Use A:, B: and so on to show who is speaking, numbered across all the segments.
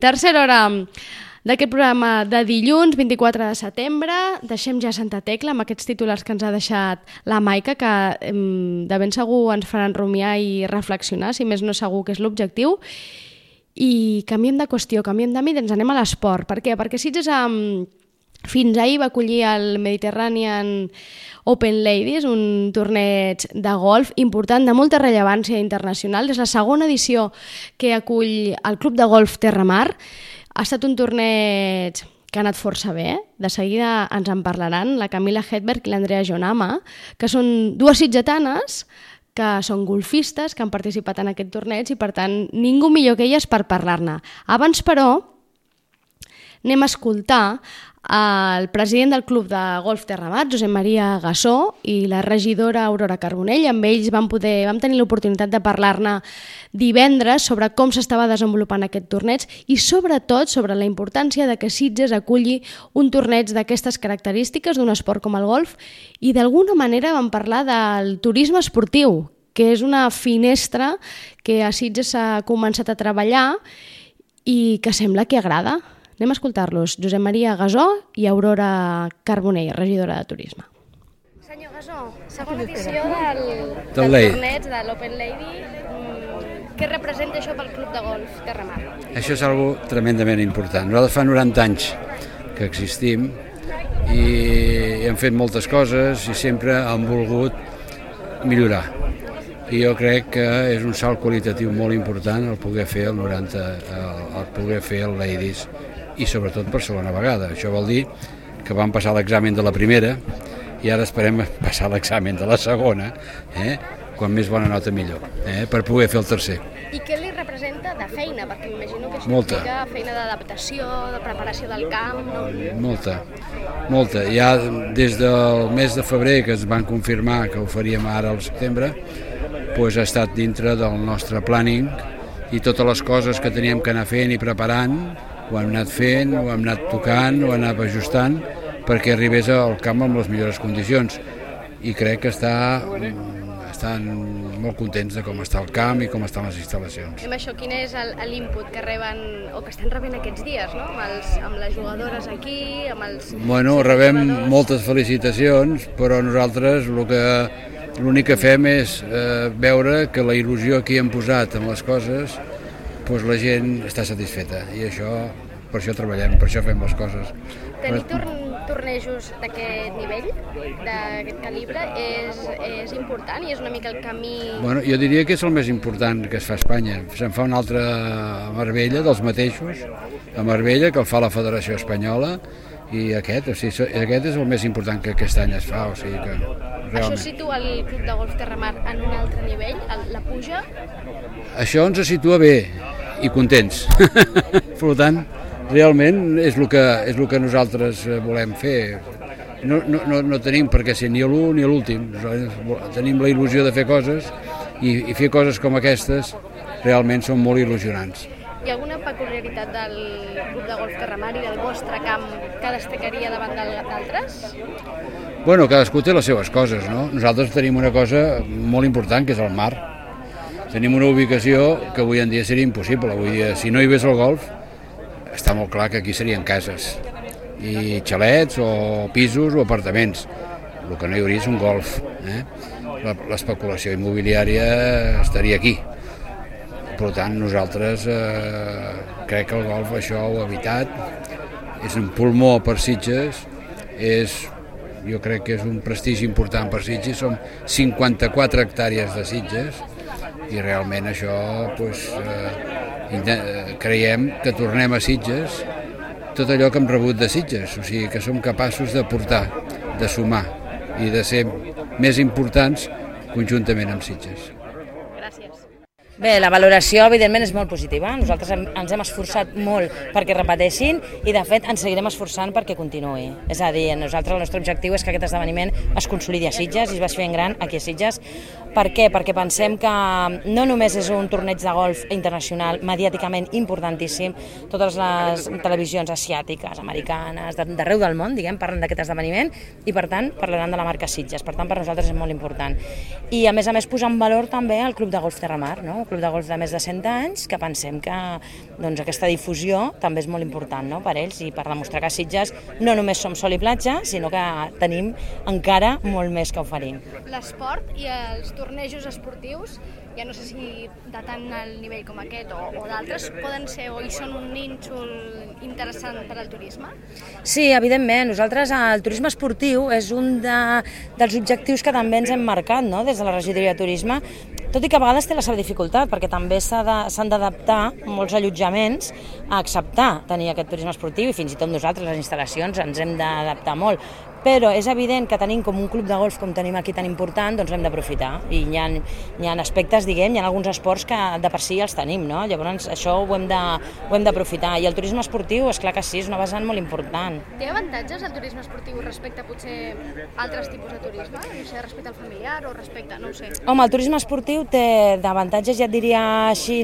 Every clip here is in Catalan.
A: Tercera hora d'aquest programa de dilluns, 24 de setembre. Deixem ja Santa Tecla amb aquests titulars que ens ha deixat la Maica, que de ben segur ens faran rumiar i reflexionar, si més no segur que és l'objectiu. I canviem de qüestió, canviem d'àmbit i ens anem a l'esport. Per què? Perquè Sitges fins ahir va acollir el Mediterranean Open Ladies, un torneig de golf important de molta rellevància internacional. És la segona edició que acull el Club de Golf Terramar. Ha estat un torneig que ha anat força bé. De seguida ens en parlaran la Camila Hedberg i l'Andrea Jonama, que són dues sitgetanes que són golfistes, que han participat en aquest torneig i, per tant, ningú millor que elles per parlar-ne. Abans, però, anem a escoltar el president del Club de Golf Terramar, Josep Maria Gassó, i la regidora Aurora Carbonell. Amb ells vam tenir l'oportunitat de parlar-ne divendres sobre com s'estava desenvolupant aquest torneig i sobretot sobre la importància de que Sitges aculli un torneig d'aquestes característiques d'un esport com el golf, i d'alguna manera vam parlar del turisme esportiu, que és una finestra que a Sitges s'ha començat a treballar i que sembla que agrada. Anem a escoltar-los. Josep Maria Gassó i Aurora Carbonell, regidora de Turisme. Senyor Gassó, segona edició del torneig de l'Open Lady. Què representa això pel Club de Golf Terramar?
B: Això és algo tremendament important. Nosaltres fa 90 anys que existim i hem fet moltes coses i sempre hem volgut millorar. I jo crec que és un salt qualitatiu molt important el poder fer el poder fer el Ladies, i sobretot per segona vegada. Això vol dir que vam passar l'examen de la primera i ara esperem passar l'examen de la segona, quan més bona nota millor, per poder fer el tercer.
A: I què li representa de feina? Perquè m'imagino que això implica feina d'adaptació, de preparació del camp, no? Molta. Ja des del mes de febrer, que es van confirmar que ho faríem ara al setembre, doncs ha estat dintre del nostre planning, i totes les coses que teníem que anar fent i preparant ho hem anat fent, ho hem anat tocant, ho hem anat ajustant perquè arribés al camp amb les millors condicions, i crec que estan molt contents de com està el camp i com estan les instal·lacions. Amb això, quin és l'input que reben o que estan rebent aquests dies, no? Amb les jugadores aquí, amb els...
B: Bueno, rebem moltes felicitacions, però nosaltres l'únic que fem és veure que la il·lusió que hi hem posat en les coses, doncs la gent està satisfeta, i per això treballem, per això fem les coses.
A: Tenir tornejos d'aquest nivell, d'aquest calibre, és important i és una mica el camí...
B: Bueno, jo diria que és el més important que es fa a Espanya. Se'n fa un altre a Marbella, dels mateixos, a Marbella, que el fa la Federació Espanyola, i aquest és el més important que aquest any es fa, o sigui que...
A: Realment. Això situa el Club de Golf Terramar en un altre nivell? La puja?
B: Això ens situa bé i contents. Per tant, realment és el que nosaltres volem fer. No tenim per què ser ni l'u ni l'últim. Tenim la il·lusió de fer coses, i fer coses com aquestes realment són molt il·lusionants.
A: Hi ha alguna peculiaritat del Club de Golf Terramar i del vostre camp que destacaria davant d'altres?
B: Bueno, cadascú té les seves coses, no? Nosaltres tenim una cosa molt important, que és el mar. Tenim una ubicació que avui en dia seria impossible. Avui dia, si no hi hagués el golf, està molt clar que aquí serien cases, i xalets, o pisos, o apartaments. El que no hi hauria és un golf. L'especulació immobiliària estaria aquí. Per tant, nosaltres crec que el golf això ho ha evitat. És un pulmó per Sitges, jo crec que és un prestigi important per Sitges. Som 54 hectàrees de Sitges, i realment això creiem que tornem a Sitges tot allò que hem rebut de Sitges, o sigui que som capaços de portar, de sumar i de ser més importants conjuntament amb Sitges.
C: Bé, la valoració evidentment és molt positiva. Nosaltres ens hem esforçat molt perquè repeteixin, i de fet ens seguirem esforçant perquè continuï. És a dir, el nostre objectiu és que aquest esdeveniment es consolidi a Sitges i es vagi fent gran aquí a Sitges. Per què? Perquè pensem que no només és un torneig de golf internacional mediàticament importantíssim, totes les televisions asiàtiques, americanes, d'arreu del món, parlen d'aquest esdeveniment, i per tant parlaran de la marca Sitges. Per tant, per nosaltres és molt important. I a més posar en valor també el Club de Golf Terramar, no? club de golf de més de 100 anys, que pensem que doncs, aquesta difusió també és molt important, no?, per ells i per demostrar que a Sitges no només som sol i platja, sinó que tenim encara molt més que oferir.
A: L'esport i els tornejos esportius, ja no sé si de tant al nivell com aquest o d'altres, poden ser o hi són un nínxol interessant per al turisme?
C: Sí, evidentment. Nosaltres el turisme esportiu és un dels objectius que també ens hem marcat, no?, des de la regidoria de turisme, tot i que a vegades té la seva dificultat, perquè també s'han d'adaptar molts allotjaments a acceptar tenir aquest turisme esportiu i fins i tot nosaltres, les instal·lacions, ens hem d'adaptar molt. Però és evident que tenim com un club de golf com tenim aquí tan important, doncs l'hem d'aprofitar. I hi ha aspectes, diguem, hi ha alguns esports que de per si els tenim, no? Llavors això ho hem d'aprofitar. I el turisme esportiu, és clar que sí, és una vessant molt important.
A: Té avantatges el turisme esportiu respecte a potser altres tipus de turisme? No sé, respecte al familiar o respecte, no ho sé.
C: Home, el turisme esportiu té d'avantatges, ja et diria així,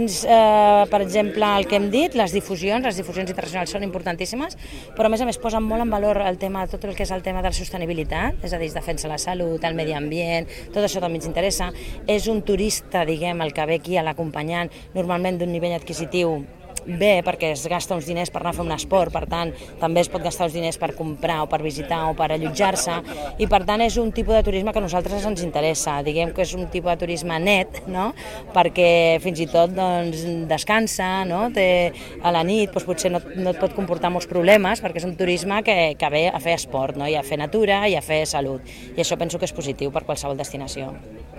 C: per exemple, el que hem dit, les difusions internacionals són importantíssimes, però a més posen molt en valor el tema, tot el que és el tema de la sostenibilitat, és a dir, es defensa la salut, el medi ambient, tot això també ens interessa. És un turista, diguem, el que ve aquí a l'acompanyant, normalment d'un nivell adquisitiu bé, perquè es gasta uns diners per anar a fer un esport, per tant, també es pot gastar uns diners per comprar o per visitar o per allotjar-se, i per tant és un tipus de turisme que a nosaltres ens interessa, diguem que és un tipus de turisme net, no?, perquè fins i tot doncs, descansa, no?, a la nit doncs, potser no et pot comportar molts problemes, perquè és un turisme que ve a fer esport, no?, i a fer natura i a fer salut, i això penso que és positiu per qualsevol destinació.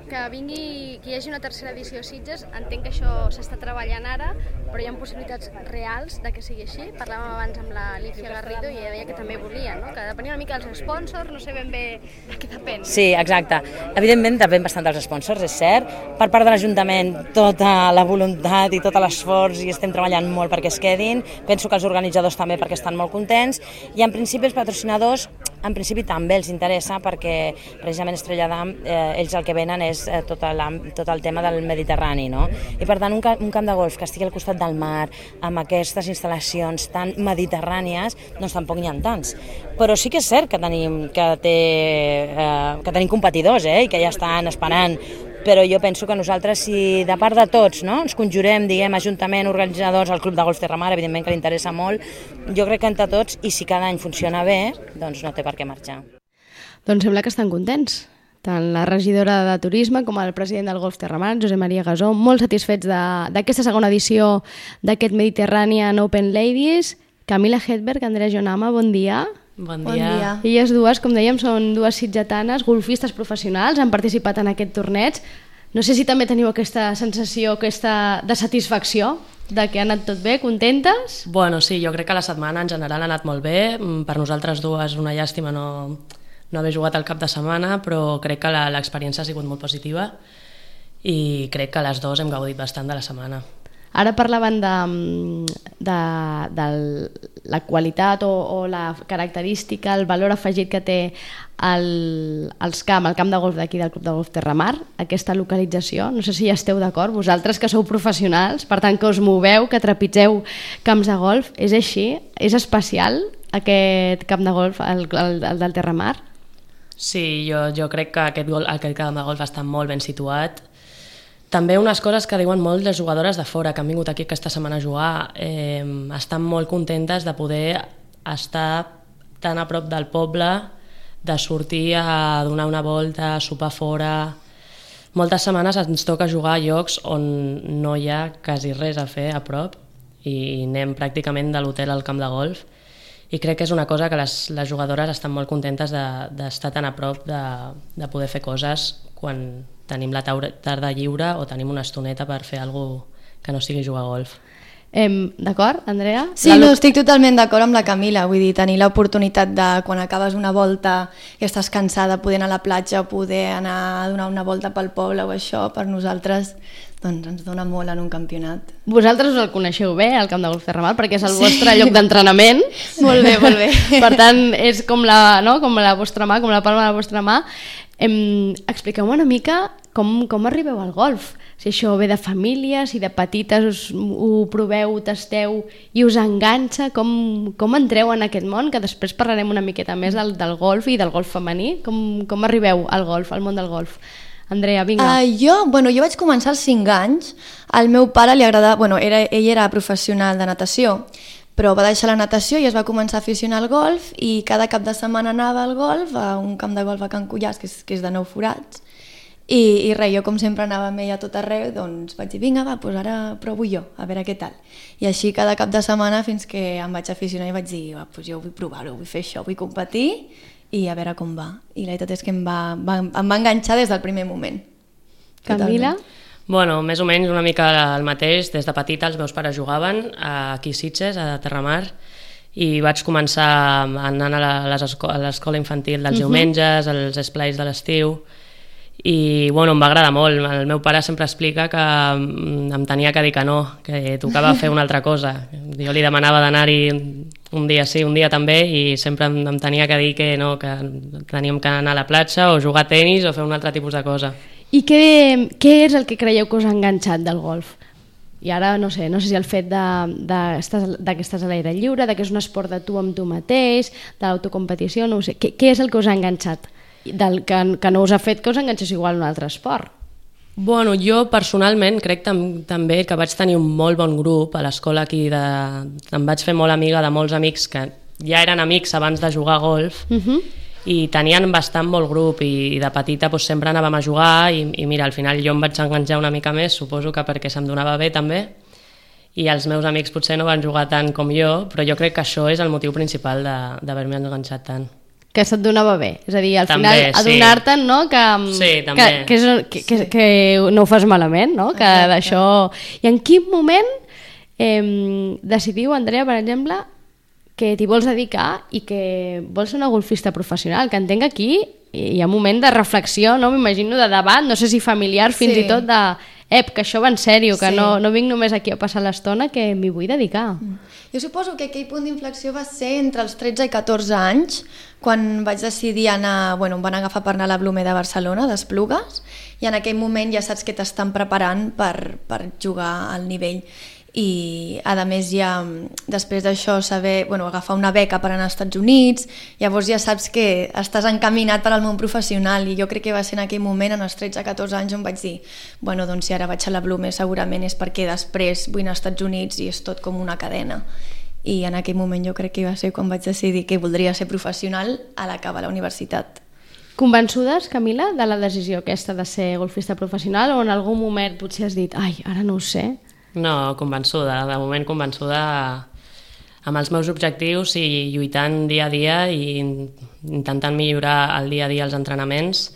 A: Que hi hagi una tercera edició a Sitges, entenc que això s'està treballant ara, però hi ha possibilitats reals de que sigui així. Parlàvem abans amb l'Alicia Garrido i ella deia que també volia, no?, que depenia una mica dels sponsors, no sé ben bé de què depèn.
C: Sí, exacte. Evidentment depèn bastant dels sponsors, és cert. Per part de l'Ajuntament tota la voluntat i tot l'esforç i estem treballant molt perquè es quedin. Penso que els organitzadors també perquè estan molt contents i en principi els patrocinadors en principi també els interessa perquè precisament Estrella d'Am, ells el que venen és tot el tema del Mediterrani, no? I per tant un camp de golf que estigui al costat del mar, amb aquestes instal·lacions tan mediterrànies, doncs tampoc n'hi ha tants. Però sí que és cert que tenim competidors, i que ja estan esperant, però jo penso que nosaltres, si de part de tots, no?, ens conjurem, diguem, Ajuntament, organitzadors, el Club de Golf Terramar, evidentment que li interessa molt, jo crec que entre tots, i si cada any funciona bé, doncs no té per què marxar.
A: Doncs sembla que estan contents, tant la regidora de Turisme com el president del Golf Terramar, Josep Maria Gasó, molt satisfets d'aquesta segona edició d'aquest Mediterranean Open Ladies. Camila Hedberg, Andrea Jonama, bon dia.
D: Bon dia.
A: Elles dues, com dèiem, són dues sitgetanes, golfistes professionals, han participat en aquest torneig. No sé si també teniu aquesta sensació de satisfacció, de que ha anat tot bé, contentes?
D: Bueno, sí, jo crec que la setmana en general ha anat molt bé. Per nosaltres dues una llàstima no haver jugat el cap de setmana, però crec que l'experiència ha sigut molt positiva i crec que les dues hem gaudit bastant de la setmana.
A: Ara parlaven de la qualitat o la característica, el valor afegit que té el camp de golf d'aquí del Club de Golf Terramar, aquesta localització. No sé si hi esteu d'acord, vosaltres que sou professionals, per tant que us moveu, que trepitgeu camps de golf, és així? És especial aquest camp de golf, el del Terramar?
D: Sí, jo crec que aquest camp de golf està molt ben situat. També unes coses que diuen molt les jugadores de fora que han vingut aquí aquesta setmana a jugar, estan molt contentes de poder estar tan a prop del poble, de sortir a donar una volta, a sopar fora. Moltes setmanes ens toca jugar a llocs on no hi ha quasi res a fer a prop i anem pràcticament de l'hotel al camp de golf i crec que és una cosa que les jugadores estan molt contentes d'estar tan a prop de poder fer coses quan tenim la tarda lliure o tenim una estoneta per fer alguna cosa que no sigui jugar a golf.
A: D'acord, Andrea?
E: Sí, estic totalment d'acord amb la Camila, vull dir, tenir l'oportunitat de quan acabes una volta i estàs cansada, poder anar a la platja o poder anar a donar una volta pel poble o això, per nosaltres doncs ens dona molt en un campionat.
A: Vosaltres us el coneixeu bé, el camp de golf Terramar, perquè és el vostre lloc d'entrenament.
E: Molt bé, molt bé.
A: Per tant, és com la vostra mà, com la palma de la vostra mà. Expliqueu-me una mica com arribeu al golf. Si això ve de família, si de petites ho proveu, ho tasteu i us enganxa, com entreu en aquest món, que després parlarem una miqueta més del golf i del golf femení. Com arribeu al golf, al món del golf? Andrea, vinga.
E: Jo vaig començar als 5 anys. Al meu pare li agradava... ell era professional de natació, però va deixar la natació i es va començar a aficionar al golf i cada cap de setmana anava al golf, a un camp de golf a Can Cullàs, que és de 9 forats, i res, jo com sempre anava amb ell a tot arreu, doncs vaig dir, vinga, va, doncs ara provo jo, a veure què tal. I així cada cap de setmana fins que em vaig aficionar i vaig dir, va, doncs jo vull provar-ho, vull fer això, vull competir i a veure com va. I la veritat és que em va enganxar des del primer moment.
A: Camila?
D: Bueno, més o menys una mica el mateix. Des de petita els meus pares jugaven aquí a Sitges, a Terramar, i vaig començar anant a l'escola infantil dels diumenges, als esplais de l'estiu, i bueno, em va agradar molt. El meu pare sempre explica que em tenia que dir que no, que tocava fer una altra cosa. Jo li demanava d'anar-hi un dia sí, un dia també, i sempre em tenia que dir que no, que teníem que anar a la platja o jugar a tenis o fer un altre tipus de cosa.
A: I què és el que creieu que us ha enganxat del golf? I ara no sé si el fet que estàs a l'aire lliure, que és un esport de tu amb tu mateix, de l'autocompetició, no ho sé. Què és el que us ha enganxat? Que no us ha fet que us enganxés igual un altre esport?
D: Bueno, jo personalment crec també que vaig tenir un molt bon grup a l'escola aquí. Em vaig fer molt amiga de molts amics que ja eren amics abans de jugar a golf, i tenien bastant molt grup, i de petita doncs, sempre anàvem a jugar, i mira, al final jo em vaig enganxar una mica més, suposo que perquè se'm donava bé també, i els meus amics potser no van jugar tant com jo, però jo crec que això és el motiu principal d'haver-me enganxat tant.
A: Que se't donava bé, és a dir, al
D: també,
A: final adonar-te'n, no? Que no ho fas malament, no? Que d'això... I en quin moment decidiu, Andrea, per exemple, que t'hi vols dedicar i que vols ser una golfista professional? Que entenc que aquí hi ha un moment de reflexió, no? M'imagino de debat, no sé si familiar, fins i tot de... que això va en sèrio, que no vinc només aquí a passar l'estona, que m'hi vull dedicar.
E: Jo suposo que aquell punt d'inflexió va ser entre els 13 i 14 anys, quan vaig decidir anar, em van agafar per anar a la Blume de Barcelona, d'Esplugues, i en aquell moment ja saps que t'estan preparant per jugar al nivell. I a més ja després d'això agafar una beca per anar als Estats Units, llavors ja saps que estàs encaminat per al món professional, i jo crec que va ser en aquell moment, en els 13-14 anys, on vaig dir, doncs si ara vaig a la Blume segurament és perquè després vull anar als Estats Units i és tot com una cadena. I en aquell moment jo crec que va ser quan vaig decidir que voldria ser professional a l'acabar la universitat.
A: Convençudes, Camila, de la decisió aquesta de ser golfista professional, o en algun moment potser has dit, ara no ho sé?
D: No, convençuda, de moment convençuda amb els meus objectius i lluitant dia a dia i intentant millorar el dia a dia els entrenaments,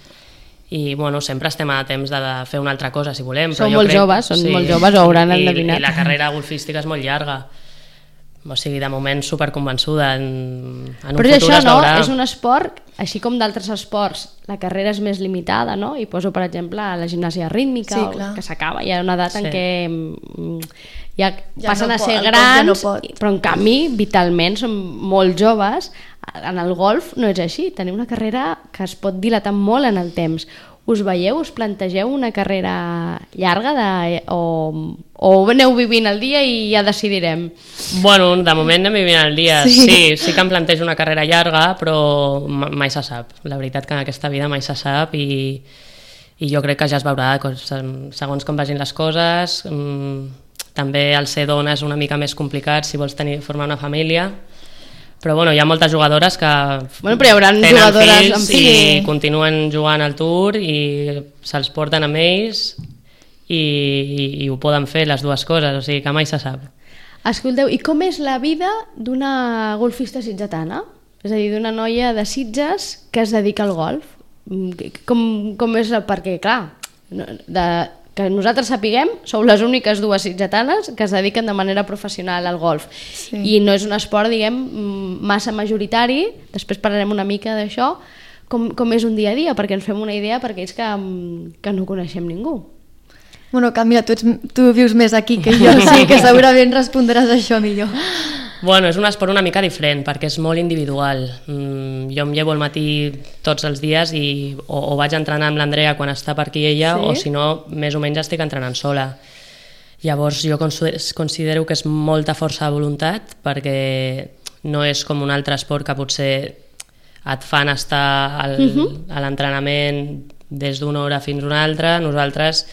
D: i sempre estem a temps de fer una altra cosa si volem.
A: Són molt joves, ho hauran endevinat.
D: I la carrera golfística és molt llarga. O sigui, de moment superconvençuda, en un futur es veurà. Però això no, és un esport, així com d'altres esports, la carrera és més limitada, no? I poso, per exemple, la gimnàsia rítmica, que s'acaba, hi ha una edat en què ja passen a ser grans, però en canvi, vitalment, són molt joves. En el golf no és així, tenim una carrera que es pot dilatar molt en el temps. Us veieu, us plantegeu una carrera llarga o aneu vivint el dia i ja decidirem? Bueno, de moment anem vivint el dia. Sí que em plantejo una carrera llarga, però mai se sap. La veritat que en aquesta vida mai se sap, i jo crec que ja es veurà segons com vagin les coses. També el ser dona és una mica més complicat si vols formar una família. Però hi ha moltes jugadores que tenen fills i continuen jugant al Tour i se'ls porten amb ells i ho poden fer les dues coses, o sigui que mai se sap.
A: Escolteu, i com és la vida d'una golfista sitgetana? És a dir, d'una noia de Sitges que es dedica al golf? Com és? Perquè, clar, que nosaltres sapiguem, sou les úniques dues sitgetanes que es dediquen de manera professional al golf. I no és un esport, diguem, massa majoritari. Després parlarem una mica d'això. Com és un dia a dia? Perquè ens fem una idea per aquells que no coneixem ningú.
E: Camila, tu vius més aquí que jo, sí que segurament respondràs això millor.
D: És un esport una mica diferent perquè és molt individual. Jo em llevo al matí tots els dies i o vaig entrenar amb l'Andrea quan està per aquí ella, o si no, més o menys estic entrenant sola. Llavors jo considero que és molta força de voluntat, perquè no és com un altre esport que potser et fan estar a l'entrenament des d'una hora fins una altra. Nosaltres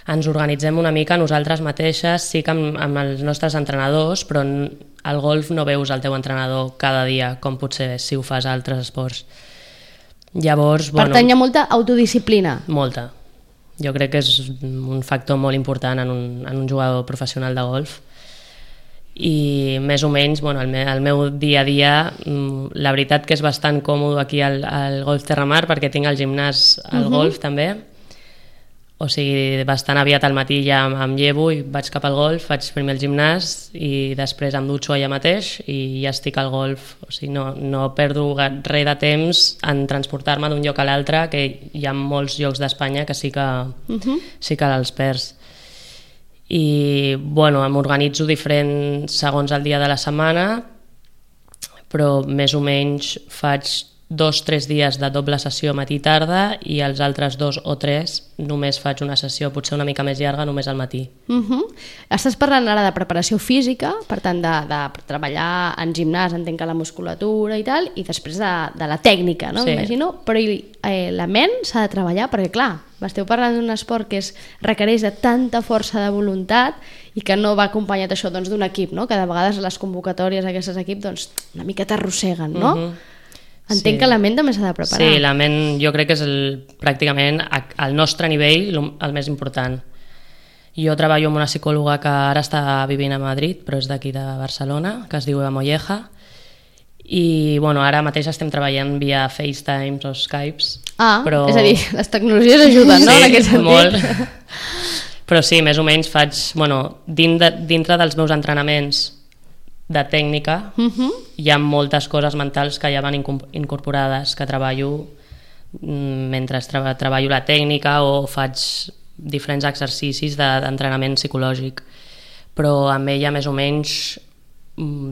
D: ens organitzem una mica nosaltres mateixes, sí que amb els nostres entrenadors, però al golf no veus el teu entrenador cada dia, com potser si ho fas a altres esports. Llavors,
A: Per tant, hi ha molta autodisciplina.
D: Molta. Jo crec que és un factor molt important en un jugador professional de golf. I més o menys, el meu dia a dia, la veritat que és bastant còmode aquí al Golf Terramar, perquè tinc el gimnàs al golf també. O sigui, bastant aviat al matí ja em llevo i vaig cap al golf, faig primer el gimnàs i després em dutxo allà mateix i ja estic al golf. O sigui, no perdo res de temps en transportar-me d'un lloc a l'altre, que hi ha molts llocs d'Espanya que sí que els perds. I m'organitzo diferent segons el dia de la setmana, però més o menys faig 2-3 dies de doble sessió matí i tarda i els altres 2 o 3 només faig una sessió potser una mica més llarga només al matí.
A: Estàs parlant ara de preparació física, per tant de treballar en gimnàs, entenc que la musculatura i tal, i després de la tècnica, no?
D: Sí.
A: M'imagino, però la ment s'ha de treballar perquè clar, esteu parlant d'un esport que requereix de tanta força de voluntat i que no va acompanyat això d'un equip, no? Que de vegades les convocatòries d'aquests equips una mica t'arrosseguen, no? Entenc que la ment també s'ha de preparar.
D: Sí, la ment jo crec que és pràcticament al nostre nivell el més important. Jo treballo amb una psicòloga que ara està vivint a Madrid, però és d'aquí de Barcelona, que es diu Eva Molleja, i ara mateix estem treballant via FaceTimes o Skypes.
A: Però... és a dir, les tecnologies ajuden, no? En aquest sentit.
D: Molt. Però sí, més o menys faig, dintre dels meus entrenaments de tècnica, hi ha moltes coses mentals que ja van incorporades, que treballo mentre treballo la tècnica o faig diferents exercicis d'entrenament psicològic, però amb ella més o menys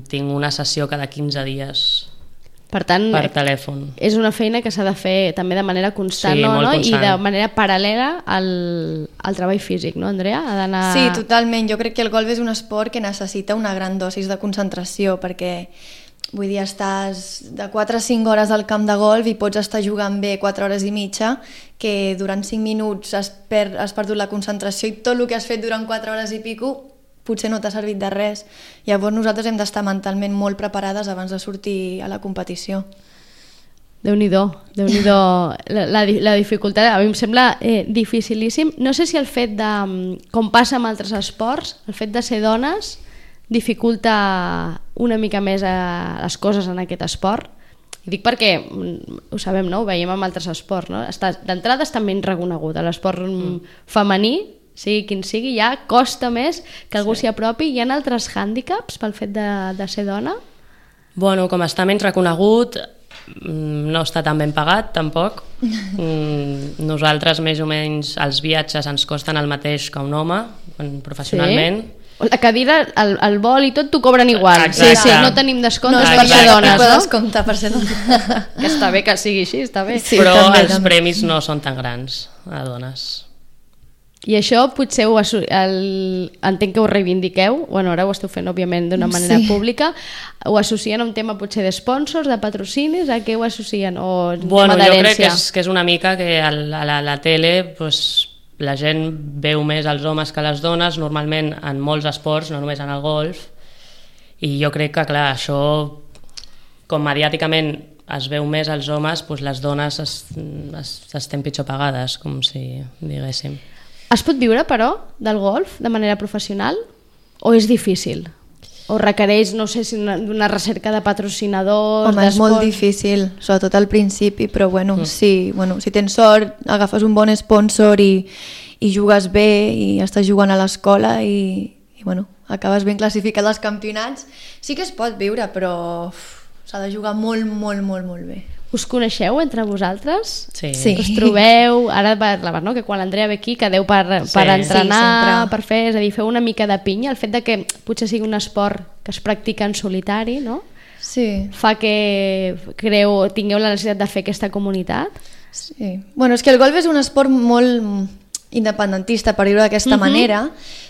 D: tinc una sessió cada 15 dies.
A: Per tant,
D: per telèfon.
A: És una feina que s'ha de fer també de manera constant,
D: sí,
A: no?
D: Constant.
A: I de manera paral·lela al treball físic, no, Andrea?
E: Sí, totalment. Jo crec que el golf és un esport que necessita una gran dosis de concentració, perquè vull dir, estàs de 4 a 5 hores al camp de golf i pots estar jugant bé 4 hores i mitja, que durant 5 minuts has perdut la concentració i tot el que has fet durant 4 hores i pico potser no t'ha servit de res. Llavors nosaltres hem d'estar mentalment molt preparades abans de sortir a la competició.
A: Déu-n'hi-do, la dificultat, a mi em sembla dificilíssim. No sé si el fet de, com passa amb altres esports, el fet de ser dones dificulta una mica més les coses en aquest esport. I dic perquè, ho sabem, no? Ho veiem amb altres esports, no? D'entrada està menys reconegut. L'esport femení, sigui quin sigui, ja costa més que algú s'hi apropi. Hi ha altres hàndicaps pel fet de ser dona?
D: Com està menys reconegut, no està tan ben pagat, tampoc. Nosaltres, més o menys, els viatges ens costen el mateix que un home, professionalment.
A: Sí? La cadira, el vol i tot t'ho cobren igual.
D: Exacte.
A: Sí, no tenim descomptes per ser dones, no? Per ser dones. Que està bé que sigui així, està bé.
D: Sí, però els premis no són tan grans a dones.
A: I això potser entenc que ho reivindiqueu, ara ho esteu fent òbviament d'una manera pública, ho associen a un tema potser de sponsors, de patrocinis, a què ho associen? O tema d'herència?
D: Jo crec que és una mica que a la tele la gent veu més els homes que les dones, normalment en molts esports, no només en el golf, i jo crec que clar, això com mediàticament es veu més als homes, les dones estem pitjor pagades, com si diguéssim.
A: Es pot viure, però, del golf de manera professional? O és difícil? O requereix, no sé, una recerca de patrocinadors?
E: Home, és molt difícil, sobretot al principi, però si tens sort, agafes un bon sponsor i jugues bé i estàs jugant a l'escola i acabes ben classificat als campionats, sí que es pot viure, però s'ha de jugar molt, molt, molt, molt bé.
A: Us coneixeu entre vosaltres?
D: Sí.
A: Us trobeu? Ara parlaves, no? Que quan l'Andrea ve aquí quedeu per entrenar, per fer, és a dir, feu una mica de pinya. El fet de que potser sigui un esport que es practica en solitari, no?
E: Sí.
A: Fa que tingueu la necessitat de fer aquesta comunitat?
E: Sí. És que el golf és un esport molt independentista, per dir-ho d'aquesta manera,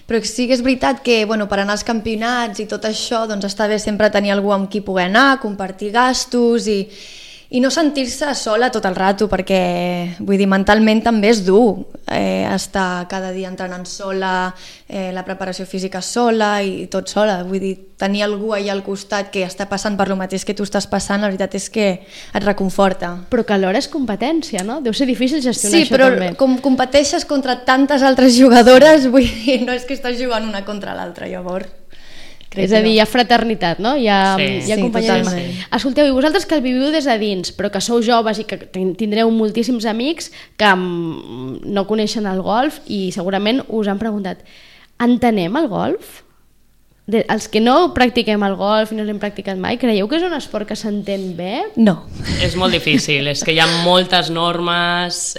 E: però sí que és veritat que per anar als campionats i tot això està bé sempre tenir algú amb qui poder anar, compartir gastos i i no sentir-se sola tot el rato, perquè vull dir, mentalment també és dur estar cada dia entrenant sola, la preparació física sola i tot sola, vull dir, tenir algú allà al costat que està passant per lo mateix que tu estàs passant, la veritat és que et reconforta.
A: Però que alhora és competència, no? Deu ser difícil gestionar
E: això
A: també.
E: Sí, però com competeixes contra tantes altres jugadores, vull dir, no és que estàs jugant una contra l'altra, llavors.
A: És a dir, hi ha fraternitat, no? Hi ha companyerisme.
E: Sí.
A: Escolteu, i vosaltres que el viviu des de dins, però que sou joves i que tindreu moltíssims amics que no coneixen el golf i segurament us han preguntat, entenem el golf? Els que no practiquem el golf i no l'hem practicat mai, creieu que és un esport que s'entén bé?
E: No.
D: És molt difícil, és que hi ha moltes normes,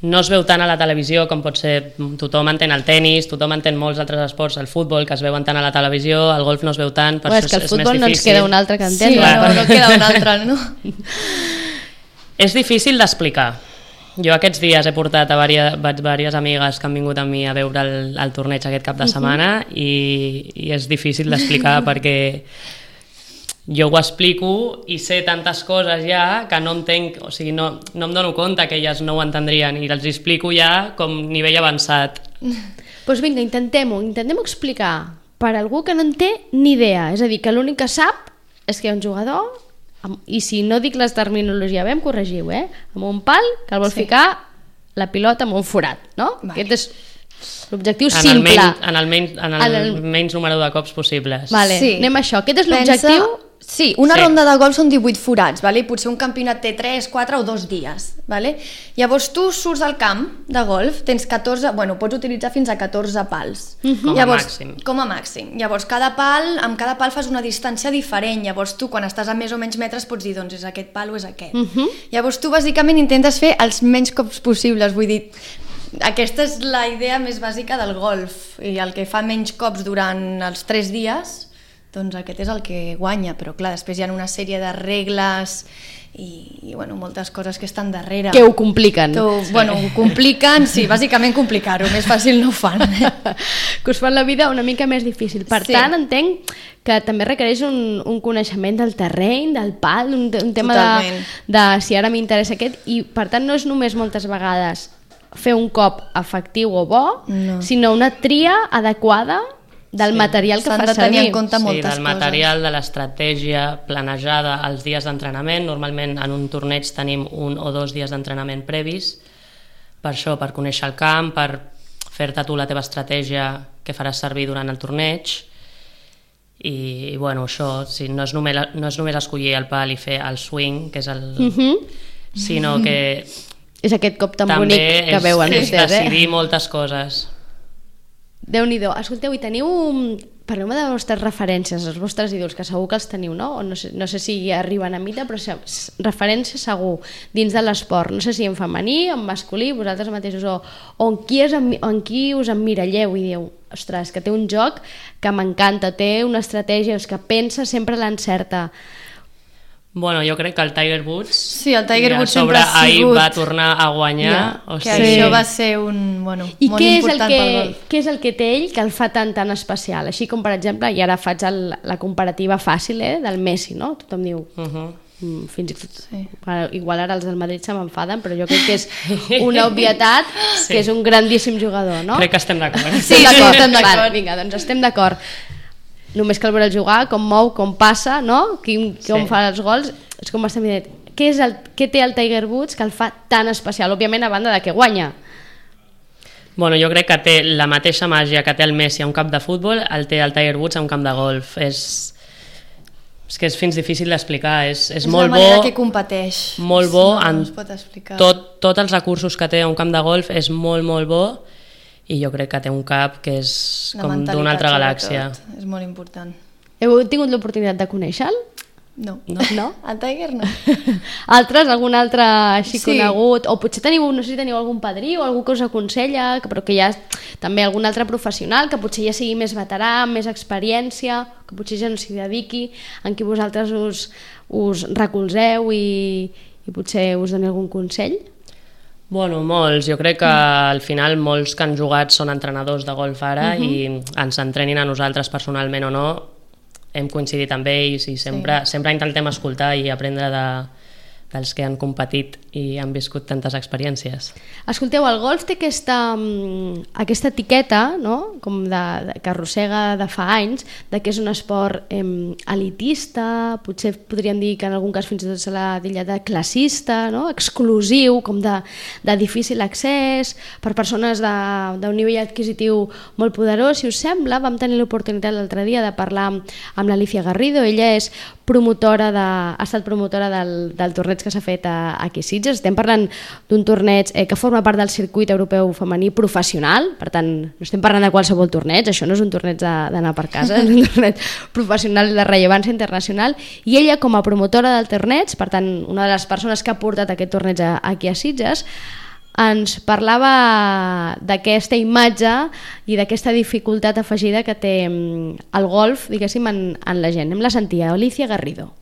D: no es veu tant a la televisió com pot ser, tothom entén el tennis, tothom entén molts altres esports, el futbol que es veuen tant a la televisió, el golf no es veu tant, per això és més difícil.
A: És que el futbol no ens queda un altre que entendre.
E: Sí, no queda un altre, no?
D: És difícil d'explicar. Jo aquests dies he portat a diverses amigues que han vingut amb mi a veure el torneig aquest cap de setmana i és difícil d'explicar perquè jo ho explico i sé tantes coses ja que no entenc, o sigui, no em dono compte que elles no ho entendrien i els explico ja com nivell avançat.
A: Doncs vinga, intentem-ho explicar per algú que no en té ni idea, és a dir, que l'únic que sap és que hi ha un jugador i si no dic les terminologia bé em corregiu, amb un pal que el vol ficar la pilota amb un forat, no?
E: Vale.
A: Aquest és l'objectiu simple.
D: En el menys número de cops possibles.
A: Vale, sí. Anem a això. Aquest és l'objectiu.
E: Sí, una ronda de golf són 18 forats, vale? Potser un campionat té 3, 4 o 2 dies. Vale? Llavors tu surts al camp de golf, tens 14, pots utilitzar fins a 14 pals. Com a màxim. Llavors amb cada pal fas una distància diferent, llavors tu quan estàs a més o menys metres pots dir doncs és aquest pal o és aquest. Llavors tu bàsicament intentes fer els menys cops possibles, vull dir, aquesta és la idea més bàsica del golf i el que fa menys cops durant els 3 dies doncs aquest és el que guanya, però clar, després hi ha una sèrie de regles i moltes coses que estan darrere.
A: Que ho compliquen.
E: Ho compliquen, sí, bàsicament complicar-ho, més fàcil no ho fan.
A: Que us fan la vida una mica més difícil. Per tant, entenc que també requereix un coneixement del terreny, del pal, un tema de si ara m'interessa aquest, i per tant no és només moltes vegades fer un cop efectiu o bo, sinó una tria adequada del material que fa servir.
E: S'han de tenir en compte moltes
D: coses. Sí, del material, de l'estratègia planejada als dies d'entrenament. Normalment en un torneig tenim 1 o 2 dies d'entrenament previs, per això, per conèixer el camp, per fer-te tu la teva estratègia que faràs servir durant el torneig. I això, no és només escollir el pal i fer el swing, que és sinó que
A: és aquest cop tan bonic que veuen vostès.
D: També és decidir moltes coses.
A: Déu-n'hi-do. Escolteu, i teniu... Parleu-me de les vostres referències, els vostres ídols, que segur que els teniu, no? O no sé si arriben a mida, però referències segur dins de l'esport. No sé si en femení, en masculí, vosaltres mateixos, o en qui us emmiralleu i dieu, ostres, que té un joc que m'encanta, té una estratègia, que pensa, sempre l'encerta.
D: Jo crec que el Tiger Woods
E: sempre ha sigut...
D: ahir va tornar a guanyar.
E: Això va ser molt important pel golf.
A: Què és el que té ell que el fa tan especial? Així com, per exemple, i ara faig la comparativa fàcil del Messi, no? Tothom diu... fins i tot, igual ara els del Madrid se m'enfaden, però jo crec que és una obvietat que és un grandíssim jugador, no?
D: Crec que estem d'acord.
A: Sí, estem d'acord. Vinga, doncs estem d'acord. Només cal veure el jugar, com mou, com passa, no? Com fa els gols, és com estem dient. Què té el Tiger Woods que el fa tan especial? Òbviament, a banda de que guanya.
D: Jo crec que té la mateixa màgia que té el Messi a un camp de futbol, el té el Tiger Woods a un camp de golf. És que és fins difícil d'explicar. És molt bo.
E: És la manera que competeix.
D: Molt bo.
E: No es pot explicar.
D: Tots els recursos que té a un camp de golf és molt, molt bo. I jo crec que té un cap que és com d'una altra galàxia.
E: És molt important.
A: Heu tingut l'oportunitat de conèixer-lo?
E: No. El Tiger no.
A: Algun altre així conegut? O potser no sé si teniu algun padrí o algú que us aconsella, però que hi ha també algun altre professional que potser ja sigui més veterà, amb més experiència, que potser ja no s'hi dediqui, en qui vosaltres us recolzeu i potser us doni algun consell?
D: Molts. Jo crec que al final molts que han jugat són entrenadors de golf ara i ens entrenin a nosaltres personalment o no, hem coincidit amb ells i sempre intentem escoltar i aprendre dels que han competit i han viscut tantes experiències.
A: Escolteu, el golf té aquesta etiqueta, no? Com que arrossega de fa anys, de que és un esport elitista, potser podríem dir que en algun cas fins i tot se l'ha dit de classista, no? Exclusiu, com de difícil accés, per persones d'un nivell adquisitiu molt poderós. Si us sembla, vam tenir l'oportunitat l'altre dia de parlar amb l'Alicia Garrido. Ella és ha estat promotora del torneig que s'ha fet aquí a Sitges. Estem parlant d'un torneig que forma part del circuit europeu femení professional, per tant, no estem parlant de qualsevol torneig, això no és un torneig d'anar per casa, és un torneig professional de rellevància internacional, i ella com a promotora del torneig, per tant, una de les persones que ha portat aquest torneig aquí a Sitges, ens parlava d'aquesta imatge i d'aquesta dificultat afegida que té el golf, diguéssim, en la gent. Hem la sentia, Alicia Garrido.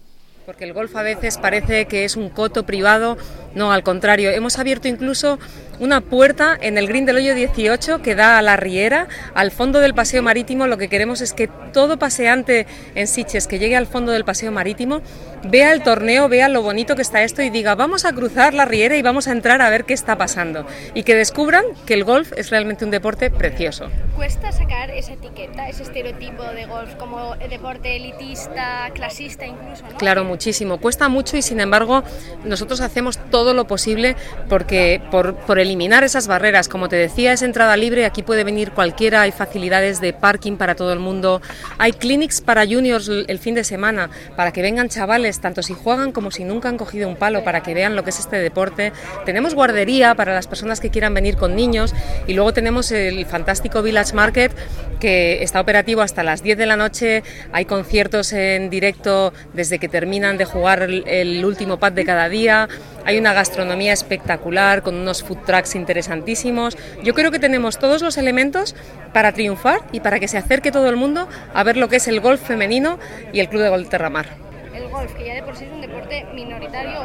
F: Porque el golf a veces parece que es un coto privado, no, al contrario, hemos abierto incluso una puerta en el green del hoyo 18 que da a la riera, al fondo del paseo marítimo. Lo que queremos es que todo paseante en Sitges que llegue al fondo del paseo marítimo vea el torneo, vea lo bonito que está esto y diga, vamos a cruzar la riera y vamos a entrar a ver qué está pasando, y que descubran que el golf es realmente un deporte precioso.
G: ¿Cuesta sacar esa etiqueta, ese estereotipo de golf como deporte elitista, clasista incluso, ¿no?
F: Claro, muchísimo, cuesta mucho, y sin embargo nosotros hacemos todo lo posible por eliminar esas barreras. Como te decía, es entrada libre, aquí puede venir cualquiera, hay facilidades de parking para todo el mundo, hay clinics para juniors el fin de semana, para que vengan chavales, tanto si juegan como si nunca han cogido un palo, para que vean lo que es este deporte. Tenemos guardería para las personas que quieran venir con niños, y luego tenemos el fantástico Village Market, que está operativo hasta las 10 de la noche, hay conciertos en directo desde que terminan de jugar el último pad de cada día, hay una gastronomía espectacular con unos food trucks interesantísimos. Yo creo que tenemos todos los elementos para triunfar y para que se acerque todo el mundo a ver lo que es el golf femenino y el Club de Golf Terramar.
G: El golf, que ya de por sí es un deporte minoritario,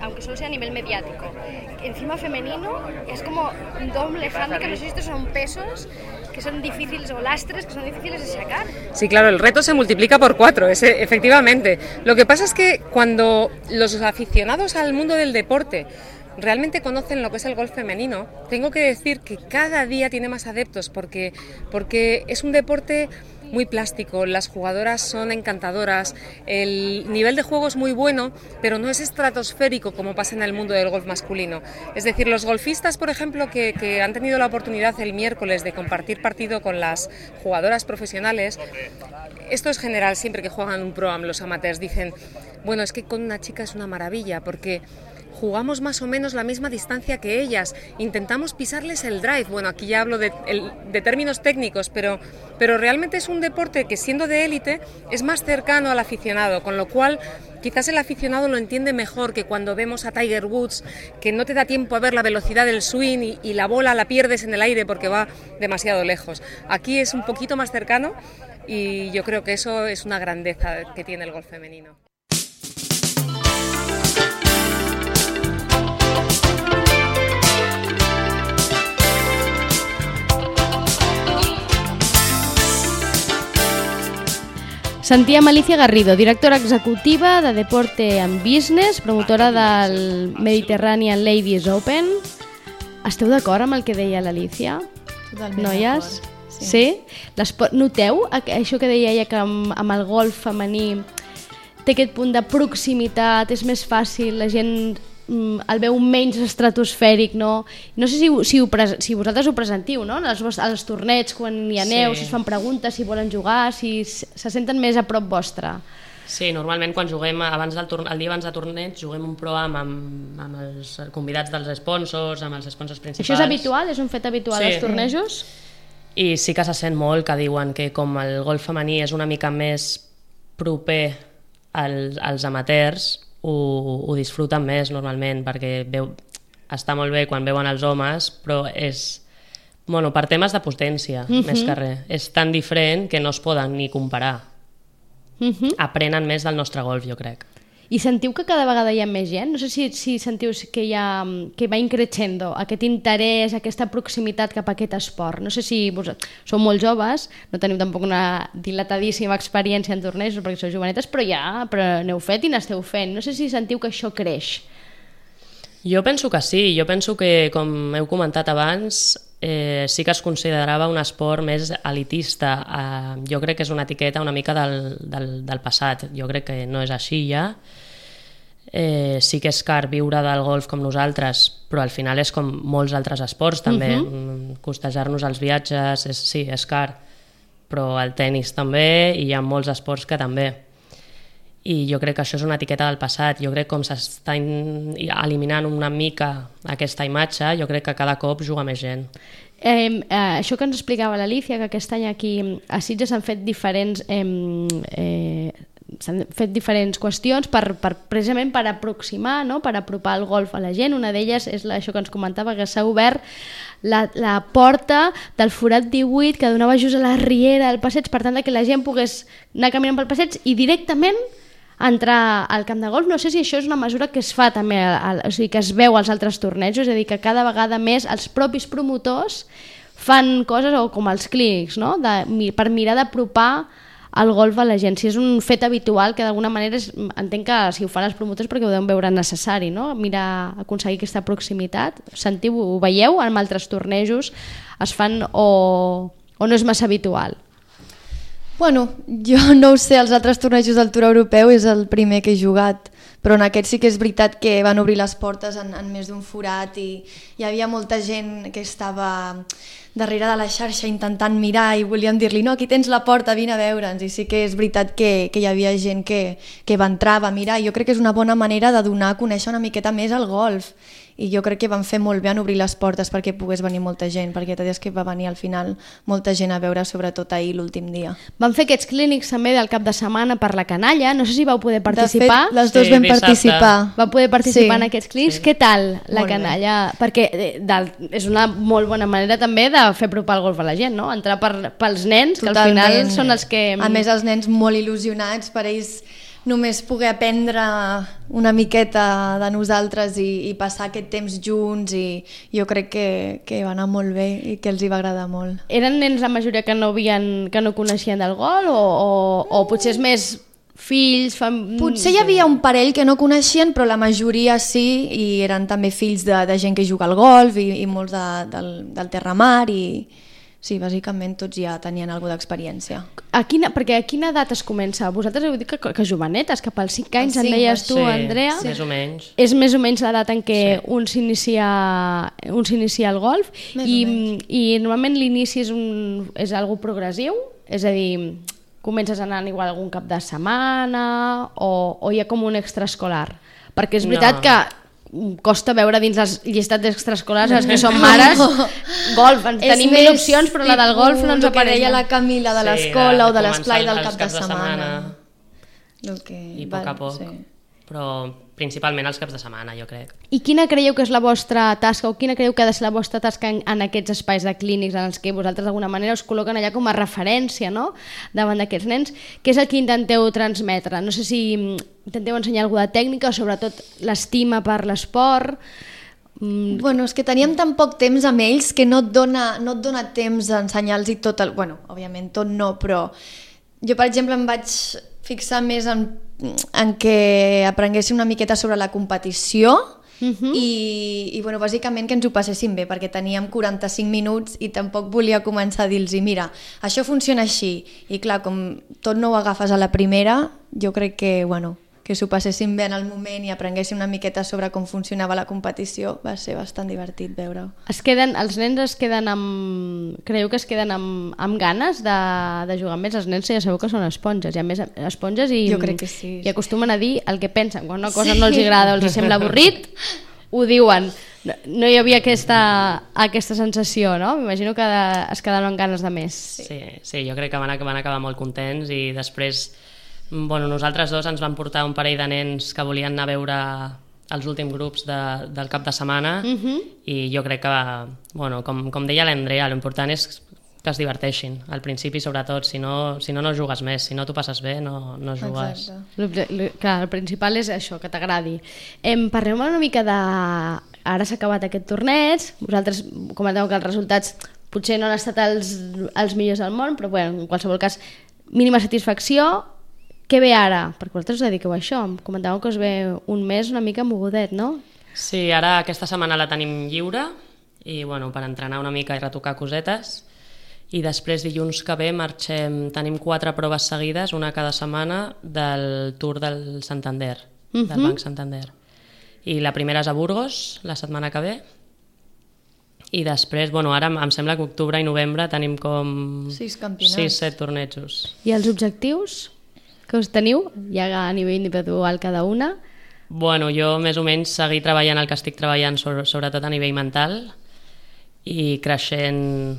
G: aunque solo sea a nivel mediático, encima femenino, es como un doble hándicap. No sé si estos son pesos que son difíciles, o lastres que son difíciles de sacar.
F: Sí, claro, el reto se multiplica por 4, efectivamente. Lo que pasa es que cuando los aficionados al mundo del deporte realmente conocen lo que es el golf femenino, tengo que decir que cada día tiene más adeptos, porque es un deporte muy plástico, las jugadoras son encantadoras, el nivel de juego es muy bueno, pero no es estratosférico como pasa en el mundo del golf masculino. Es decir, los golfistas, por ejemplo, que han tenido la oportunidad el miércoles de compartir partido con las jugadoras profesionales, esto es general, siempre que juegan un pro-am los amateurs dicen, bueno, es que con una chica es una maravilla, porque jugamos más o menos la misma distancia que ellas, intentamos pisarles el drive. Bueno, aquí ya hablo de términos técnicos, pero realmente es un deporte que, siendo de élite, es más cercano al aficionado, con lo cual quizás el aficionado lo entiende mejor que cuando vemos a Tiger Woods, que no te da tiempo a ver la velocidad del swing y la bola la pierdes en el aire porque va demasiado lejos. Aquí es un poquito más cercano, y yo creo que eso es una grandeza que tiene el golf femenino.
A: Sentíem Alicia Garrido, directora executiva de Deporte and Business, promotora del Mediterranean Ladies Open. Esteu d'acord amb el que deia l'Alicia?
E: Totalment
A: noies?
E: d'acord.
A: Sí? Noteu això que deia ella, que amb el golf femení té aquest punt de proximitat, és més fàcil, la gent el veu menys estratosfèric, no? No sé si vosaltres ho presentiu, no? Als torneigs, quan hi aneu, si es fan preguntes, si volen jugar, si se senten més a prop vostre.
D: Sí, normalment quan juguem el dia abans de torneig juguem un pro-am amb els convidats dels sponsors, amb els sponsors principals.
A: Això és habitual? És un fet habitual als tornejos?
D: I sí que se sent molt que diuen que com el golf femení és una mica més proper als amateurs, ho disfruten més normalment, perquè està molt bé quan veuen els homes, però és per temes de potència, més que res. És tan diferent que no es poden ni comparar. Aprenen més del nostre golf, jo crec.
A: I sentiu que cada vegada hi ha més gent? No sé si sentiu que va increixendo aquest interès, aquesta proximitat cap a aquest esport. No sé si sou molt joves, no teniu tampoc una dilatadíssima experiència en tornejos perquè sou jovenetes, però n'heu fet i n'esteu fent. No sé si sentiu que això creix.
D: Jo penso que sí, jo penso que, com heu comentat abans, sí que es considerava un esport més elitista. Jo crec que és una etiqueta una mica del passat, jo crec que no és així ja. Sí que és car viure del golf com nosaltres, però al final és com molts altres esports també. Costejar-nos els viatges, sí, és car, però el tennis també, i hi ha molts esports que també. I jo crec que això és una etiqueta del passat. Jo crec que com s'està eliminant una mica aquesta imatge, jo crec que cada cop juga més gent.
A: Això que ens explicava l'Alicia, que aquest any aquí a Sitges s'han fet diferents qüestions precisament per aproximar, no? Per apropar el golf a la gent. Una d'elles és això que ens comentava, que s'ha obert la porta del forat 18 que donava just a la riera del passeig, per tant que la gent pogués anar caminant pel passeig i directament entrar al camp de golf. No sé si això és una mesura que es fa també, o sigui, que es veu als altres tornejos, és a dir, que cada vegada més els propis promotors fan coses, o com els clínics, no? Per mirar d'apropar el golf a la gent. Si és un fet habitual, que d'alguna manera entenc que si ho fan els promotors perquè ho deuen veure necessari, no? Mirar, aconseguir aquesta proximitat. Sentiu, ho veieu en altres tornejos? Es fan o no és massa habitual?
E: Bueno, jo no ho sé, els altres tornejos del Tour Europeu és el primer que he jugat, però en aquest sí que és veritat que van obrir les portes en més d'un forat i hi havia molta gent que estava darrere de la xarxa intentant mirar i volíem dir-li, no, aquí tens la porta, vine a veure'ns. I sí que és veritat que hi havia gent que va entrar, va mirar, i jo crec que és una bona manera de donar a conèixer una miqueta més el golf. I jo crec que van fer molt bé en obrir les portes perquè pogués venir molta gent, perquè t'ha dit que va venir al final molta gent a veure, sobretot ahir l'últim dia.
A: Van fer aquests clínics també del cap de setmana per la canalla, no sé si vau poder participar.
E: De fet, les dues vam participar.
A: Vau poder participar en aquests clínics. Què tal la canalla? Perquè és una molt bona manera també de fer apropar el golf a la gent, no? Entrar pels nens, que al final són els que...
E: A més, els nens molt il·lusionats, per ells només poder aprendre una miqueta de nosaltres i passar aquest temps junts, i jo crec que va anar molt bé i que els hi va agradar molt.
A: Eren nens la majoria que no coneixien del golf o potser és més fills?
E: Potser hi havia un parell que no coneixien, però la majoria sí, i eren també fills de gent que juga al golf i molts del Terramar, i sí, bàsicament tots ja tenien alguna d'experiència.
A: Perquè a quina edat es comença? Vosaltres heu dit que jovenetes, cap als 5 anys, en deies tu, Andrea.
D: Sí, més o menys.
A: És més o menys l'edat en què un s'inicia al golf, i normalment l'inici és algo progressiu, és a dir, comences anant igual algun cap de setmana o hi ha com un extraescolar? Perquè és veritat que costa veure dins les llistats d'extraescolars els que són mares golf, tenim 1000 opcions, però la del golf no ens apareix.
E: El que deia la Camila de l'escola o de l'esplai del cap de setmana.
D: I a poc a poc, però principalment els caps de setmana, jo crec.
A: I quina creieu que és la vostra tasca, o quina creieu que ha de ser la vostra tasca en aquests espais de clínics en els que vosaltres d'alguna manera us col·loquen allà com a referència, no?, davant d'aquests nens? Què és el que intenteu transmetre? No sé si intenteu ensenyar alguna tècnica o sobretot l'estima per l'esport.
E: Bueno, és que teníem tan poc temps amb ells que no et dona temps d'ensenyar-los tot el... Bueno, òbviament tot no, però jo, per exemple, em vaig fixar més en que aprenguessin una miqueta sobre la competició i bueno, bàsicament que ens ho passéssim bé, perquè teníem 45 minuts i tampoc volia començar a dir-los mira, això funciona així, i clar, com tot no ho agafes a la primera, jo crec que, bueno, que s'ho passessin bé en el moment i aprenguessin una miqueta sobre com funcionava la competició, va ser bastant divertit veure-ho.
A: Els nens es queden amb... Creieu que es queden amb ganes de jugar més? Els nens ja sabeu que són esponges, hi ha més esponges i,
E: jo crec que sí,
A: i acostumen a dir el que pensen. Quan una cosa no els agrada o els sembla avorrit, ho diuen. No hi havia aquesta sensació, no? M'imagino que es quedaven amb ganes de més.
D: Sí, jo crec que van acabar molt contents, i després... Bueno, nosaltres dos ens van portar un parell de nens que volien anar a veure els últims grups del cap de setmana, i jo crec que, bueno, com deia l'Andrea, l'important és que es diverteixin, al principi sobretot, si no jugues més, si no t'ho passes bé no jugues.
A: Clar, el principal és això, que t'agradi. Parlem una mica de... Ara s'ha acabat aquest torneig, vosaltres comenteu que els resultats potser no han estat els millors del món, però bueno, en qualsevol cas, mínima satisfacció. Què ve ara? Perquè vosaltres us dediqueu a això, em comentàveu que us ve un mes una mica mogudet, no?
D: Sí, ara aquesta setmana la tenim lliure, i bueno, per entrenar una mica i retocar cosetes, i després dilluns que ve tenim 4 proves seguides, una cada setmana, del Tour del Santander, del Banc Santander. I la primera és a Burgos, la setmana que ve, i després, bueno, ara em sembla que octubre i novembre tenim com 6-7 tornejos.
A: I els objectius que us teniu, ja a nivell individual cada una?
D: Bueno, jo més o menys seguir treballant el que estic treballant, sobretot a nivell mental, i creixent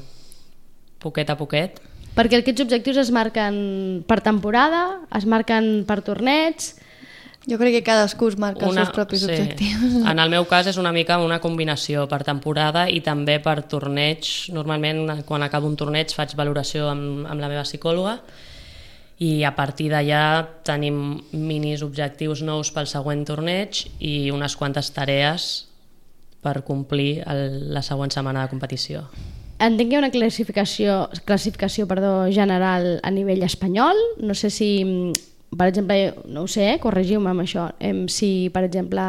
D: poquet a poquet.
A: Perquè aquests objectius es marquen per temporada, es marquen per torneig...
E: Jo crec que cadascú es marca els seus propis objectius.
D: En el meu cas és una mica una combinació per temporada i també per torneig. Normalment quan acabo un torneig faig valoració amb la meva psicòloga i a partir d'allà tenim minis objectius nous pel següent torneig i unes quantes tarees per complir la següent setmana de competició.
A: Entenc que hi ha una classificació general a nivell espanyol. No sé si, per exemple, no ho sé, corregiu-me amb això, si, per exemple,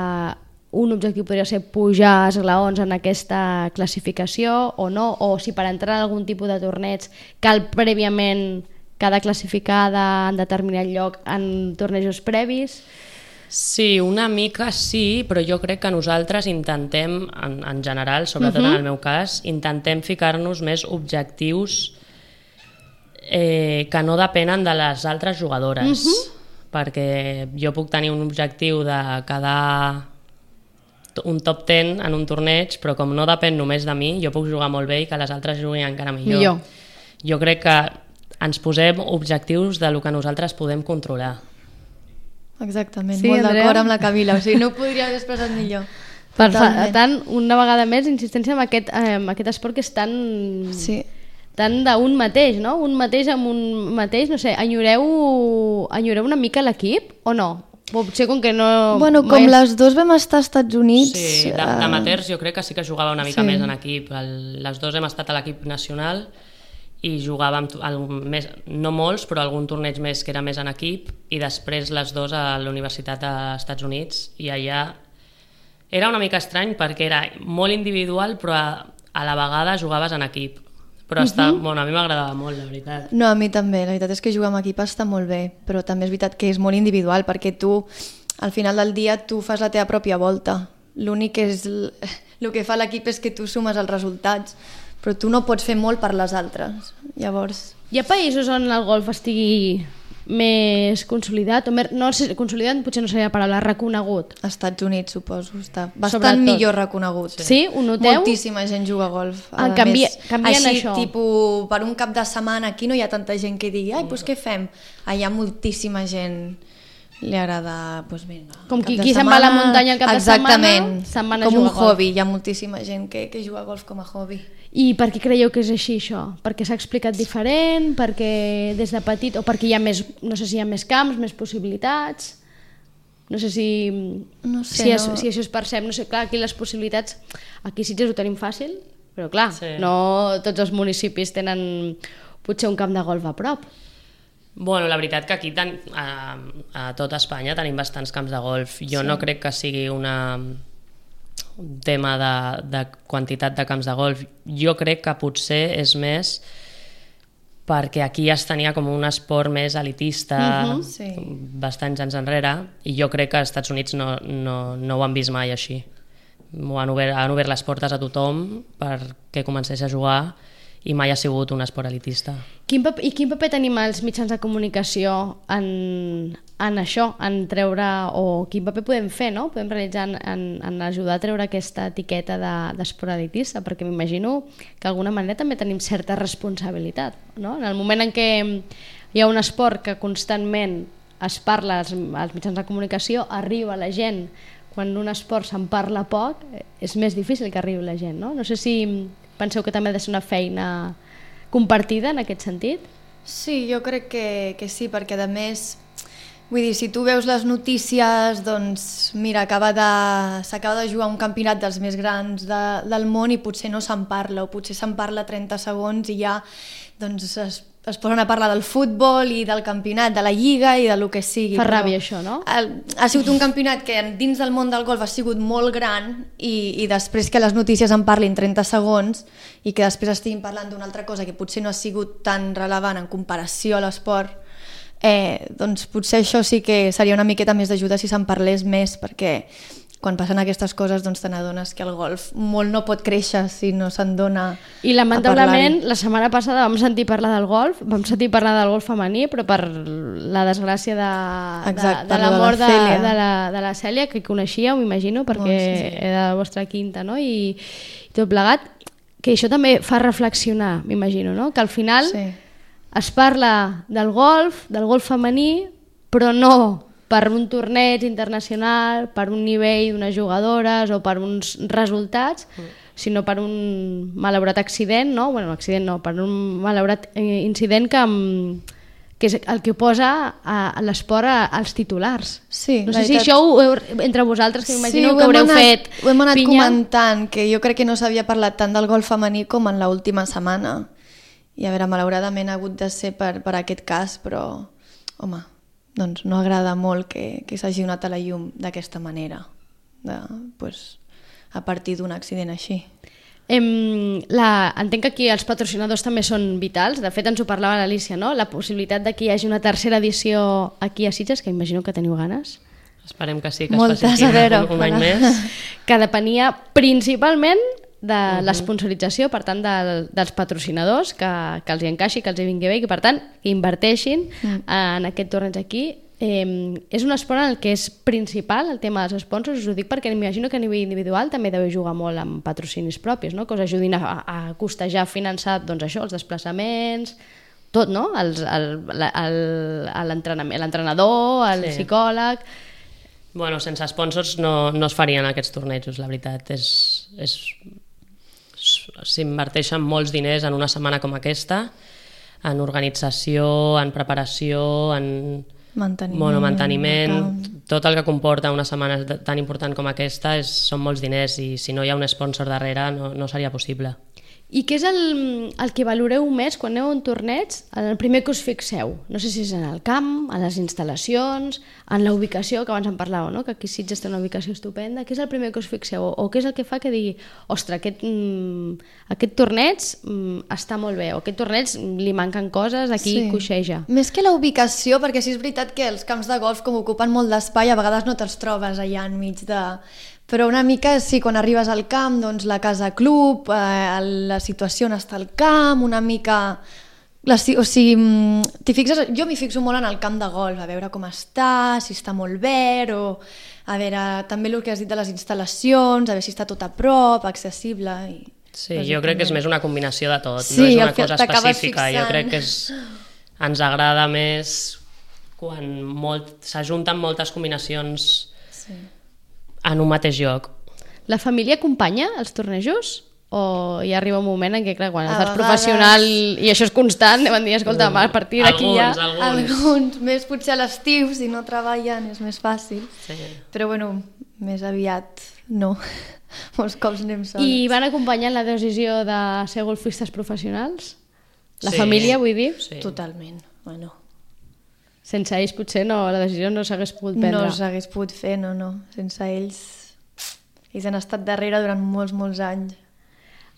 A: un objectiu podria ser pujar esglaons en aquesta classificació o no, o si per entrar en algun tipus de torneig cal prèviament cada classificada en determinat lloc en tornejos previs.
D: Sí, una mica sí, però jo crec que nosaltres intentem, en general, sobretot en el meu cas, intentem ficar-nos més objectius que no depenen de les altres jugadores, perquè jo puc tenir un objectiu de quedar un top 10 en un torneig, però com no depèn només de mi, jo puc jugar molt bé i que les altres juguin encara millor. Jo crec que ens posem objectius de lo que nosaltres podem controlar.
E: Exactament, sí, molt d'acord amb la Camila, o sigui, no ho podria haver expressat millor.
A: Per tant, una vegada més, insistència en aquest esport que és tan...
E: Sí.
A: Tant d'un mateix, no? Un mateix amb un mateix, no sé, enyoreu una mica l'equip o no? Potser com que no...
E: Bueno, com les dos vam estar als Estats Units...
D: Sí, d'amateurs jo crec que sí que jugava una mica més en equip. Les dos hem estat a l'equip nacional i jugàvem, no molts, però algun torneig més que era més en equip, i després les dos a la Universitat dels Estats Units, i allà era una mica estrany perquè era molt individual, però a la vegada jugaves en equip. Però bueno, a mi m'agradava molt, la veritat.
E: No, a mi també, la veritat és que jugar amb equip està molt bé, però també és veritat que és molt individual, perquè tu, al final del dia, tu fas la teva pròpia volta. L'únic que és... El que fa l'equip és que tu sumes els resultats, però tu no pots fer molt per les altres. Llavors...
A: Hi ha països on el golf estigui més consolidat, o no sé, consolidat potser no seria la paraula, reconegut.
E: Als Estats Units, suposo, està bastant millor reconegut.
A: Sí, ho noteu?
E: Moltíssima gent juga a golf.
A: Canvien
E: així,
A: això.
E: Tipus, per un cap de setmana aquí no hi ha tanta gent que digui, ai, doncs què fem? Hi ha moltíssima gent, li agrada, doncs vinga.
A: Com qui se'n va a la muntanya el cap de setmana,
E: se'n van a jugar a golf. Com un hobby, hi ha moltíssima gent que juga a golf com a hobby.
A: I per què creieu que és així, això? Perquè s'ha explicat diferent? Perquè des de petit... O perquè hi ha més... No sé si hi ha més camps, més possibilitats... No sé si...
E: No sé,
A: si això es percep. No sé, clar, aquí les possibilitats... Aquí a Sitges ho tenim fàcil, però clar, no tots els municipis tenen potser un camp de golf a prop.
D: Bueno, la veritat que aquí a tota Espanya tenim bastants camps de golf. Jo no crec que sigui un tema de quantitat de camps de golf. Jo crec que potser és més perquè aquí es tenia com un esport més elitista bastants anys enrere, i jo crec que als Estats Units no ho han vist mai així. Han obert les portes a tothom perquè comencés a jugar i mai ha sigut un esport elitista.
A: Quin paper tenim els mitjans de comunicació en això, en treure, o quin paper podem fer, no? Podem realitzar en ajudar a treure aquesta etiqueta d'esport elitista, perquè m'imagino que d'alguna manera també tenim certa responsabilitat, no? En el moment en què hi ha un esport que constantment es parla als mitjans de comunicació, arriba la gent. Quan un esport se'n parla poc, és més difícil que arribi la gent, no? No sé si penseu que també ha de ser una feina compartida en aquest sentit?
E: Sí, jo crec que sí, perquè a més, vull dir, si tu veus les notícies, doncs mira, s'acaba de jugar un campionat dels més grans del món i potser no se'n parla, o potser se'n parla 30 segons i ja doncs es posen a parlar del futbol i del campionat, de la lliga i del que sigui.
A: Fa ràbia això, no?
E: Ha sigut un campionat que dins del món del golf ha sigut molt gran i després que les notícies en parlin 30 segons i que després estiguin parlant d'una altra cosa que potser no ha sigut tan rellevant en comparació a l'esport, doncs potser això sí que seria una miqueta més d'ajuda si se'n parlés més, perquè quan passen aquestes coses doncs te n'adones que el golf molt no pot créixer si no se'n dona
A: I lamentablement la setmana passada vam sentir parlar del golf, femení, però per la desgràcia de la mort de la Cèlia, que coneixíeu, m'imagino, perquè era la vostra quinta, no? I tot plegat, que això també fa reflexionar, m'imagino, no? Que al final es parla del golf femení, però no per un torneig internacional, per un nivell d'unes jugadores o per uns resultats, sinó per un malaurat accident, no? Bueno, accident no, per un malaurat incident que és el que posa a l'esport als titulars.
E: Sí,
A: no sé si això entre vosaltres, que m'imagino que haureu fet
E: ho hem anat comentant, que jo crec que no s'havia parlat tant del golf femení com en l'última setmana. I a veure, malauradament ha hagut de ser per aquest cas, però, home, doncs no agrada molt que s'hagi donat a la llum d'aquesta manera, a partir d'un accident així.
A: Entenc que aquí els patrocinadors també són vitals. De fet, ens ho parlava l'Alícia, no? La possibilitat de que hi hagi una tercera edició aquí a Sitges, que imagino que teniu ganes.
D: Esperem que sí, que es faci un any més.
A: Que depenia principalment de l'esponsorització, per tant dels patrocinadors, que els hi encaixi, que els hi vingui bé i que per tant que inverteixin en aquest torneig aquí. És un esport en el que és principal el tema dels sponsors, us ho dic perquè m'imagino que a nivell individual també deveu jugar molt amb patrocinis propis, no? Que us ajudin a costejar, finançar doncs això, els desplaçaments, tot, no? L'entrenador, el psicòleg.
D: Bueno, sense sponsors no es farien aquests tornejos, la veritat. S'inverteixen molts diners en una setmana com aquesta, en organització, en preparació, en manteniment, tot el que comporta una setmana tan important com aquesta són molts diners i si no hi ha un sponsor darrere no seria possible.
A: I què és el que valoreu més quan aneu a un torneig, el primer que us fixeu? No sé si és en el camp, en les instal·lacions, en la ubicació, que abans en parlàveu, no? Que aquí Sitges té una ubicació estupenda. Què és el primer que us fixeu? O què és el que fa que digui, ostres, aquest torneig està molt bé, o aquest torneig li manquen coses, aquí coixeja.
E: Més que la ubicació, perquè sí és veritat que els camps de golf, com ocupen molt d'espai, a vegades no te'ls trobes allà enmig de... Però una mica, sí, quan arribes al camp, doncs la casa club, la situació on està al camp, una mica... O sigui, jo m'hi fixo molt en el camp de golf, a veure com està, si està molt verd, o a veure també el que has dit de les instal·lacions, a veure si està tot a prop, accessible...
D: Sí, jo crec que és més una combinació de tot, no és una cosa específica. Jo crec que ens agrada més quan s'ajunten moltes combinacions en un mateix lloc.
A: La família acompanya els tornejos? O hi arriba un moment en què, clar, quan estàs professional i això és constant, anem a dir, escolta, a partir d'aquí ja...
E: Alguns, més potser a l'estiu, si no treballen és més fàcil. Però bueno, més aviat no. Molts cops anem sols.
A: I van acompanyar la decisió de ser golfistes professionals? La família, vull dir?
E: Sí. Totalment, bueno.
A: Sense ells potser la decisió no s'hagués pogut prendre.
E: No s'hagués pogut fer, no. Sense ells han estat darrere durant molts anys.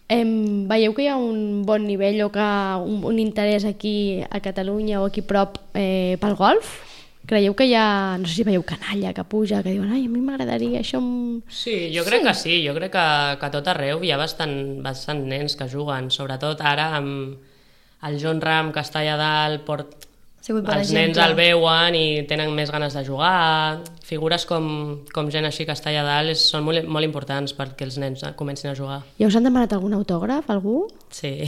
A: Veieu que hi ha un bon nivell o que un interès aquí a Catalunya o aquí prop pel golf? Creieu que hi ha, no sé si veieu canalla que puja, que diuen, ai, a mi m'agradaria això...
D: Sí, jo crec que sí, jo crec que a tot arreu hi ha bastant nens que juguen, sobretot ara amb el Jon Rahm que està allà dalt, els nens el veuen i tenen més ganes de jugar, figures com gent així que està allà dalt són molt importants perquè els nens comencin a jugar.
A: Ja us han demanat algun autògraf, algú?
D: Sí.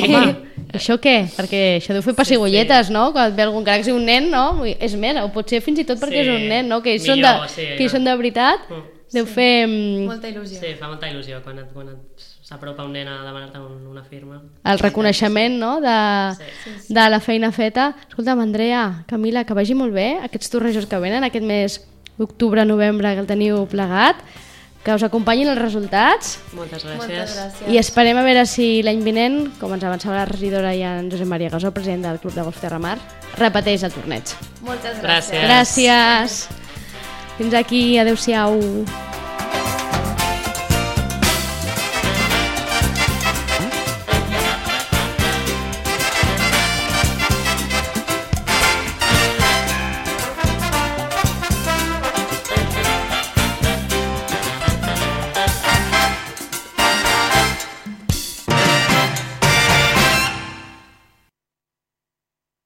A: Home, això què? Perquè això deu fer pessigolletes, no? Quan et ve algun crac i un nen, no? És més, o potser fins i tot perquè és un nen, no? Que ells són de veritat, deu fer...
E: Molta il·lusió.
D: Sí, fa molta il·lusió quan s'apropa un nen a demanar-te una firma.
A: El reconeixement, no?, de la feina feta. Escolta'm, Andrea, Camila, que vagi molt bé aquests tornejos que venen, aquest mes d'octubre-novembre que el teniu plegat, que us acompanyin els resultats.
D: Moltes gràcies.
A: I esperem a veure si l'any vinent, com ens avançava la regidora i en Josep Maria Gasó, president del Club de Golf Terramar, repeteix el torneig.
E: Moltes gràcies.
A: Gràcies. Fins aquí, adeu-siau.